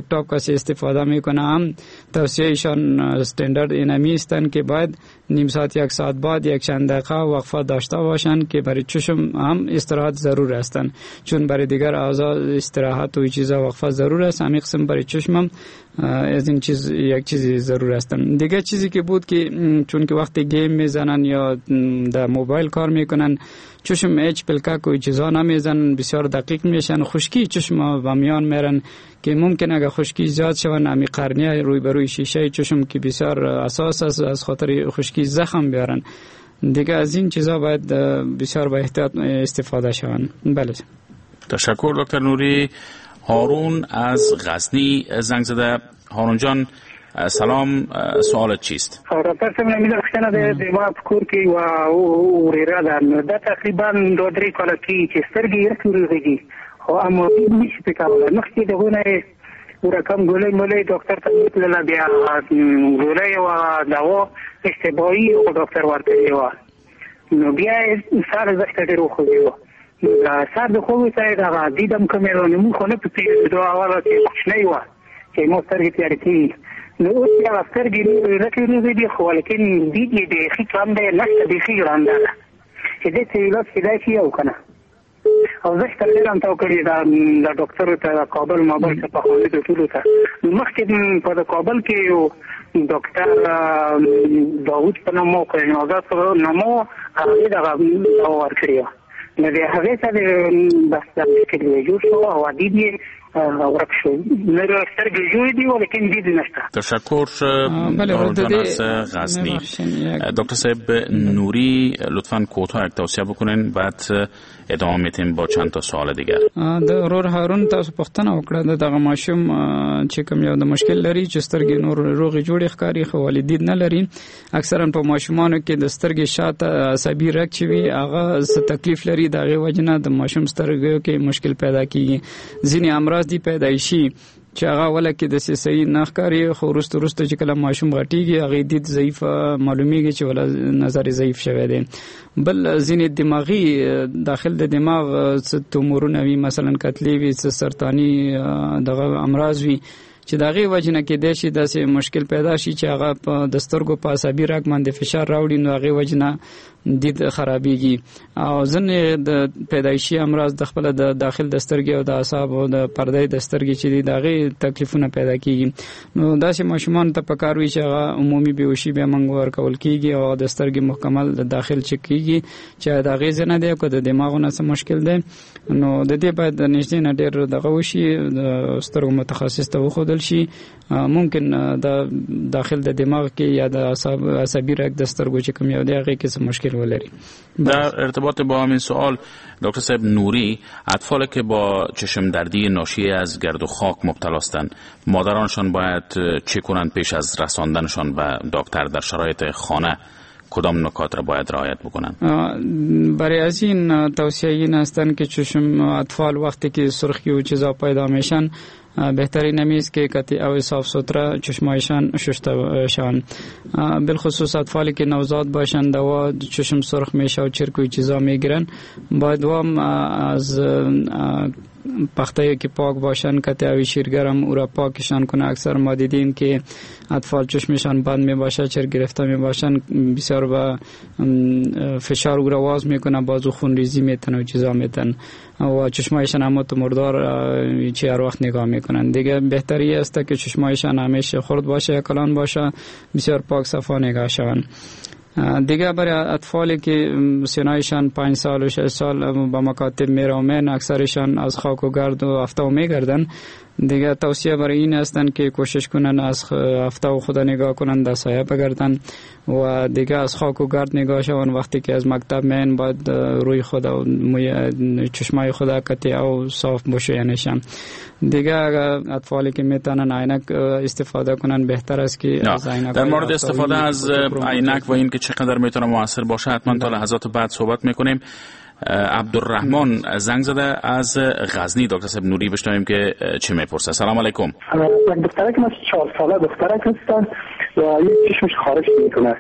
لپتاپ کسی استفاده میکنه هم توصیه ایشان استاندارد اینمی هستند که باید نیم ساعت یک ساعت بعد یک چند دقیقه وقفه داشته باشند که برای چشم هم استراحت ضرور هستند، چون برای دیگر اعضا استراحت و چیزا وقفه ضرور است، همین قسم برای چشم هم از این چیز یک چیزی ضرور هستند. دیگه چیزی که بود که چون که وقتی game میزنن یا در موبایل کار میکنن چشم هیچ پلکک و چیزا نمیزنن، بسیار دقیق میشن، خشکی چشم و میان میرن که ممکن اگر خشکی زیاد شون امی قرنیه روی بروی شیشه چشم که بسیار اساس است از خاطر خشکی زخم بیارن. دیگه از این چیزا باید بسیار با احتیاط استفاده شون. بله، تشکر دکتر نوری. هارون از غزنی زنگ زده. هارون جان سلام، سوالت چیست؟ ډاکټر صاحب مې پوښتنه ده د ما په کور کې یوه ورېره ده، نو دا تقریبا 2-3 کاله کېږي چې سترګې یې رکې دي خو اما نشي پرې کولی. مخکې د هغو نه یې رقم ګولۍ مولۍ ډاکټر ته وتلله، بیا ګولۍ او دوا اشتباهي او ډاکټر ورکړې وه، نو بیا یې سر زښته ډېر وخوځېده. سر د خوب سره دغه دید هم کمېده، نو موږ خو نه پوهېدو، دا اوله چې کوچنۍ وه چې مو سترګې تیارې کېږي، نو اوس بیا سترګې رکې روغې دي خو لیکن دید یې بیخي کم دی، نشته، بیخي ړانده ده چې دې څه علاج کېدای شي او که نه. او زښته ډېر هم تاو کړي دا ډاکټر ته د کابل مابل ته پخواني د ټولو ته. مخکې په د کابل کې یو ډاکټر داوود په نوم و، نازاد په نوم و، هغې دغه دوا ورکړې وه، نو د هغې سره بس دا مشکل یې جوړ شو او دید یې ورک شو. سترګې جوړې دي ولیکن دید نشته. تشکر هارون جان از غزنی. دکتر صاحب نوری لطفاً کوتاه یک توصیه بکنین، بعد ادامه میتیم با چند تا سوال دیگر. د ورور هارون تاسو پوښتنه وکړه د دغه ماشوم چې کوم یو د مشکل لري چې سترګې نور روغې جوړې ښکاري خو ولې دید نه لري. اکثرا په ماشومانو کې د سترګې شاته عصبي رګ چې وي هغه څه تکلیف لري، د هغې وجې نه د ماشوم سترګو کې مشکل پیدا کیږي. ځینې امراض دي پیدایشي چې هغه اوله کې داسې صحیح نه ښکاري، خو وروسته وروسته چې کله ماشوم غټېږي هغې دید ضعیف معلومیږي چې ولا نظر یې ضعیف شوی دی. بل ځینې دماغي داخل د دماغ څه تومورونه وي، مثلا کتلې وي، څه سرطاني دغه امراض وي چې د هغې وجې نه کېدای شي داسې مشکل پیدا شي چې هغه په د سترګو په عصبي رګ باندې فشار راوړي، نو هغې وجې نه دید خرابېږي. او ځینې د پیدایشي امراض د خپل د داخل د سترګې او د اعصابو د پردې د سترګې چې دي د هغې تکلیفونه پیدا کېږي. نو داسې ماشومانو ته پکار وي چې هغه عمومي بېهوشي بیا موږ ورکول کېږي او د سترګې مکمل د داخل چک کېږي چې د هغې ځای نه دی او که د دماغو نه څه مشکل دی. نو د دې باید د نږدې نه ډېر دغه وشي، د سترګو متخصص ته وښودل شي. ممکن د داخل د دماغ کې یا د عصبي رګ د سترګو چې کوم یو دی هغې کې څه مشکل ولري. در ارتباط با همین سوال دکتر صاحب نوری، اطفال که با چشم دردی ناشی از گرد و خاک مبتلا هستند، مادرانشان باید چه کنند پیش از رساندنشان به دکتر؟ در شرایط خانه کدام نکات را باید رعایت بکنند؟ برای از این توصیه این هستند که چشم اطفال وقتی که سرخی و چیزا پیدا میشن بهترین همیست که کتی او صاف سوتره چشمایشان شسته شوند. بالخصوص اطفالی که نوزاد باشند دوا چشم سرخ میشه و چرک و چیزا میگیرن، باید وام از پخته که پاک باشن کتی اوی شیرگرم او را پاکشان کنه. اکثر ما دیدیم که اطفال چشمشان بند می باشه، چرک گرفته می باشن، بسیار با فشار او را واز میکنه، بازو خون ریزی میتن و چیزا میتن و چشمایشان هم تو مردار چه هر وقت نگاه میکنن. دیگه بهتری است که چشمایشان همیشه خرد باشه یا کلان باشه، بسیار پاک صفا نگاه شوند. دیگه برای اطفالی که سنایشان 5 سال و 6 سال با مکاتب میرومن، اکثرشان از خاک و گرد و افتاو میگردن. دیگه توصیه برای این هستند که کوشش کنن از افتاو خود نگاه کنن، در سایه بگردن و دیگه از خاک و گرد نگاه شون. وقتی که از مکتب میان باید روی خود و چشمای خود کتی او صاف باشه. یعنی دیگه اطفالی که میتونن عینک استفاده کنن بهتر است که از عینک. در مورد استفاده از عینک و این که چقدر میتونه موثر باشه حتما تا لحظات بعد صحبت میکنیم. عبدالرحمن زنگ زده از غزنی. دکتر صاحب نوری بشنویم که چه میپرسه. سلام علیکم. یک دخترک ما 4 ساله دخترک هستن و یک چشمش خارج میکنه.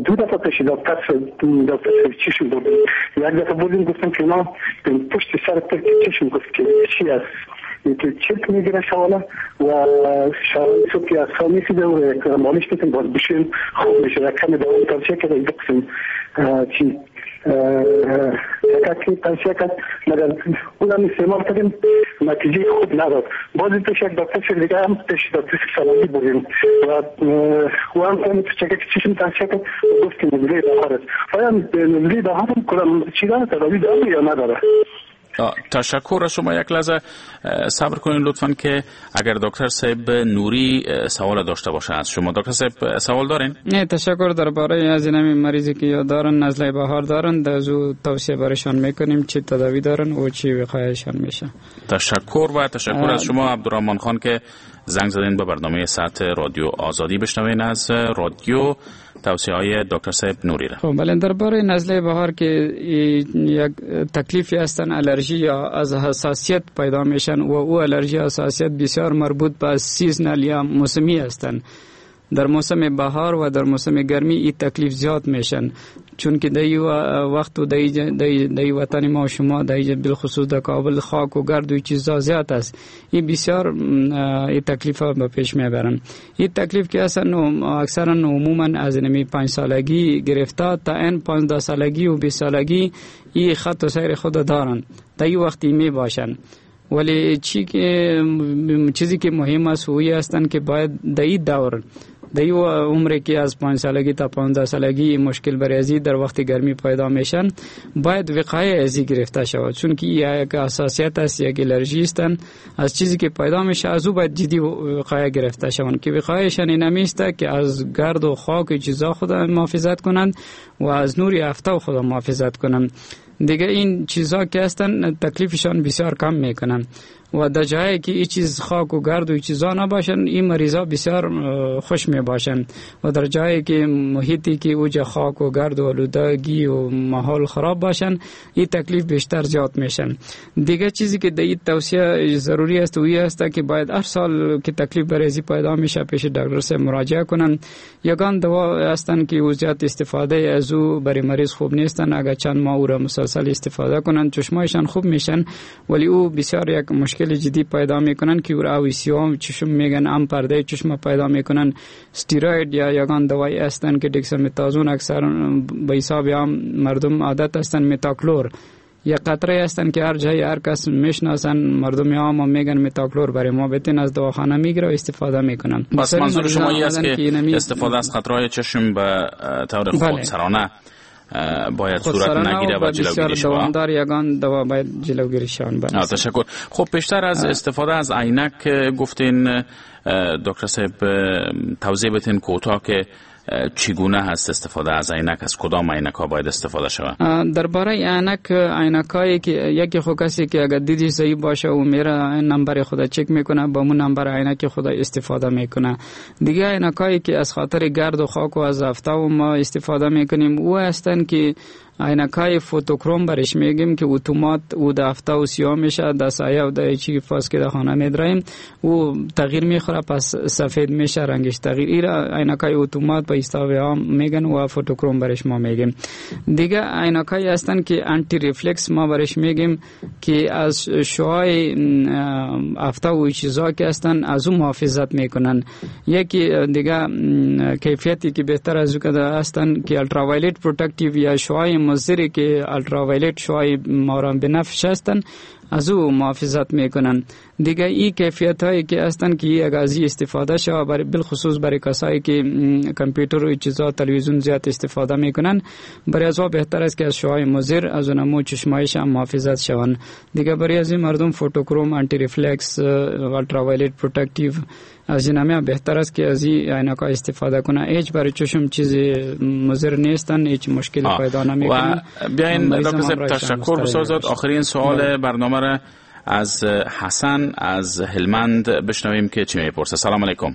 دو دفعه پیش دکتر چشم بردیم، یک دفعه بردیم گفتم که ما پشت سر چشم گفت که چی است، که چرک میگیره شواله و شواله صبح که از خواب میخیزه و مالش میکنه باز بشین خوب میشه. کمی دوام توصیه کرده دو قسم چی که توصیه کرد، مگر اونم استعمال کردیم نتیجه خوب نداد. باز پیش یک دکتر دیگه هم پیش دکتر سلامی بودیم و هم چک چشم توصیه کرد، گفت که نزله بهار است. آیا نزله بهار هم کدام چی داره، تداوی داره یا نداره؟ تشکر از شما. یک لحظه صبر کنین لطفاً که اگر دکتر صاحب نوری سوال داشته باشه از شما. دکتر صاحب سوال دارین؟ نه تشکر. درباره از این مریضی که یا دارن نزله بهار دارن، در زو توصیه برشان میکنیم چه تداوی دارن و چه وقایشان میشه. تشکر و تشکر از شما عبدالرحمن خان که زنگ زدین به برنامه ساعت رادیو آزادی. بشنوین از رادیو توصیه های دکتر صاحب نوری را. خب بله، درباره نزله بهار که یک تکلیفی هستن، الرژی یا از حساسیت پیدا میشن و او الرژی حساسیت بسیار مربوط به seasonal یا موسمی هستن. در موسم بهار و در موسم گرمی این تکلیف زیاد میشن، چون که در وقت و در وطن ما و شما در بالخصوص در کابل خاک و گرد و چیزا زیاد است. این بسیار این تکلیف ها به پیش میبرن. این تکلیف که اصلا اکثرا عموما از نمی 5 سالگی گرفته تا این 15 سالگی و 20 سالگی این خط و سیر خود دارن، تا این وقتی می باشن. ولی چیزی که مهم است اویی هستند که باید در این دور در این عمر که از 5 سالگی تا 15 سالگی مشکل برای ازی در وقت گرمی پیدا میشن، باید وقایه ازی گرفته شود، چون که یک حساسیت است، یک الرژی است، از چیزی که پیدا میشه از او باید جدی وقایه گرفته شوند که وقایهشان این است که از گرد و خاک چیزا خود محافظت کنند و از نور آفتاب خود محافظت کنند. دیگه این چیزا که هستن تکلیفشان بسیار کم میکنن و در جایی که این چیز خاک و گرد و چیزا نباشن این مریضا بسیار خوش می باشن و در جایی که محیطی که اوج خاک و گرد و آلودگی و ماحول خراب باشن این تکلیف بیشتر زیاد میشن. دیگه چیزی که در این توصیه ضروری است و این است که باید هر سال که تکلیف برای پیدا میشه پیش دکتر سے مراجعه کنن. یگان دوا هستن که او زیاد استفاده از او برای مریض خوب نیستن، اگر چند ماه او را مسلسل استفاده کنن چشمایشان خوب میشن، ولی او بسیار یک مشکل جدی پیدا میکنن که او را اویسیوم چشم میگن، ام پرده چشم پیدا میکنن. استیروید یا یگان دوایی هستن که دکسامتازون اکثر به حساب عام مردم عادت هستن، متاکلور یا قطره هستن که هر جای هر کس میشناسن، مردم عام میگن متاکلور برای ما بتین، از دواخانه میگیره و استفاده میکنن. بس منظور شما این است که استفاده از قطره‌های چشم به طور خودسرانه باید صورت نگیره و جلوگیری شود. دوامدار یگان دوا باید جلوگیری شود. تشکر. خب پیشتر از استفاده از عینک گفتین دکتر صاحب، توضیح بدین کوتاه که چگونه هست استفاده از عینک، از کدام عینک ها باید استفاده شود؟ درباره عینک، عینکایی که یکی خو کسی که اگر دیدش ضعیف باشه و میره نمبر خود چک میکنه، با مون نمبر عینک خود استفاده میکنه. دیگه عینکایی که از خاطر گرد و خاک و از آفتاب ما استفاده میکنیم او هستن که عینکای photochrom برش میگیم که اتومات او د آفتاب و سیاه میشه، د سایه و د چی فاس که در خانه میدریم او تغییر میخوره، پس سفید میشه رنگش تغییر. ایرا عینکای اتومات به اصطلاح عام میگن و photochrom برش ما میگیم. دیگه عینکای هستن که anti reflex ما برش میگیم که از شعاع آفتاب و چیزا که هستن از او محافظت میکنن. یکی دیگه کیفیتی که بهتر از او هستن که ultraviolet protective یا شعاع مضری که ultraviolet شعاع ماران بنفش هستن از او محافظت میکنن. دیگه این کیفیت هایی که هستن که اگر از استفاده شود برای بالخصوص برای کسایی که کامپیوتر و چیزا تلویزیون زیاد استفاده میکنن، برای از او بهتر است که از شعاع مضر از اونمو چشمایش هم محافظت شوند. دیگه برای از این مردم photochrom، anti reflex، ultraviolet protective از این همه بهتر است که از این عینک‌ها استفاده کنه. هیچ برای چشم چیز مضر نیستن، هیچ مشکل پیدا نمیکنن. بیاین دکتر صاحب تشکر بسیار زیاد. آخرین سوال برنامه را از حسن از هلمند بشنویم که چی میپرسه. سلام علیکم.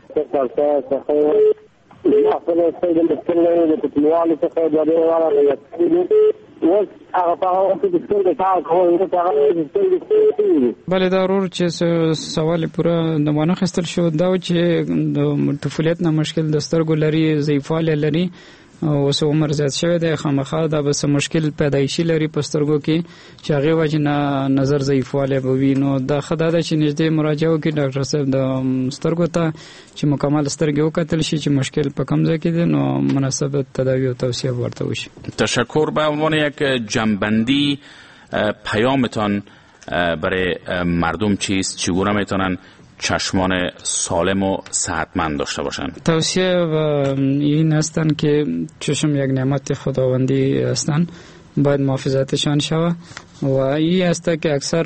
بله دا ورور چې سوال پوره نه وانه خستل شو، دا چې د طفولیت نه مشکل د سترګو لري، ضعیفوالی لري، اوس عمر زیات شوی دی، خامخا دا به څه مشکل پیدایشي لري په سترګو کې چې هغې وجې نه نظر ضعیفوالی به وي. نو دا ښه دا ده چې نږدې مراجعه وکړي ډاکټر صاحب د سترګو ته چې مکمل سترګې وکتل شي چې مشکل په کوم ځای کې دی، نو مناسب تداوی او توصیه به ورته وشي. تشکر. به عنوان یک جنبندی پیامتان برای مردم چیست؟ چگونه میتونن چشمان سالم و صحتمند داشته باشند؟ توصیه این هستند که چشم یک نعمت خداوندی هستند، باید محافظتشان شود. و این است که اکثر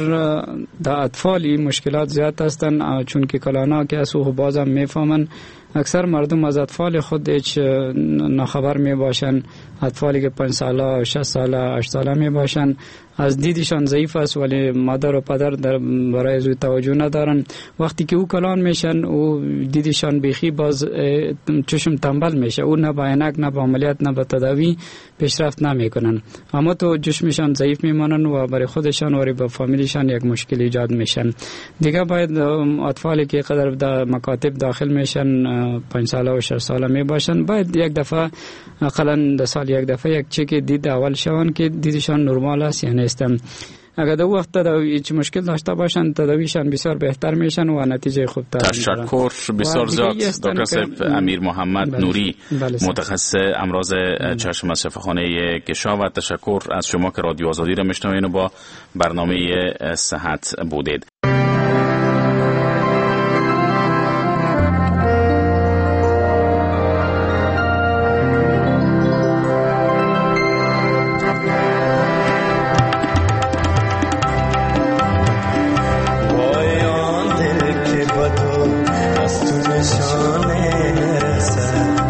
در اطفال این مشکلات زیاد هستند، چون که کلانا که از او بازم میفهمن، اکثر مردم از اطفال خود هیچ ناخبر می باشند. اطفالی که 5 ساله، 6 ساله، 8 ساله می باشند از دیدشان ضعیف است، ولی مادر و پدر در برای زو توجه ندارن. وقتی که او کلان میشن او دیدشان بیخی باز چشم تنبل میشه، او نه با عینک نه با عملیات نه با تداوی پیشرفت نمیکنن، اما تو چشمشان ضعیف میمانن و برای خودشان و برای فامیلشان یک مشکل ایجاد میشن. دیگه باید اطفالی که قدر در مکاتب داخل میشن 5 ساله و 6 ساله می باشن، باید یک دفعه اقلا در سال یک دفعه یک چک دید اول شوند که دیدشان نرمال است یا نیست. اگر دو وقت تداوی چه مشکل داشته باشند تداویشان بسیار بهتر میشن و نتیجه خوب تر. تشکر بسیار زیاد دکتر صاحب امیر محمد نوری، متخصص امراض چشم از شفاخانه گشا، و تشکر از شما که رادیو آزادی را میشنوین و با برنامه صحت بودید. وای آن دل که با تو از تو نشانه نرسد.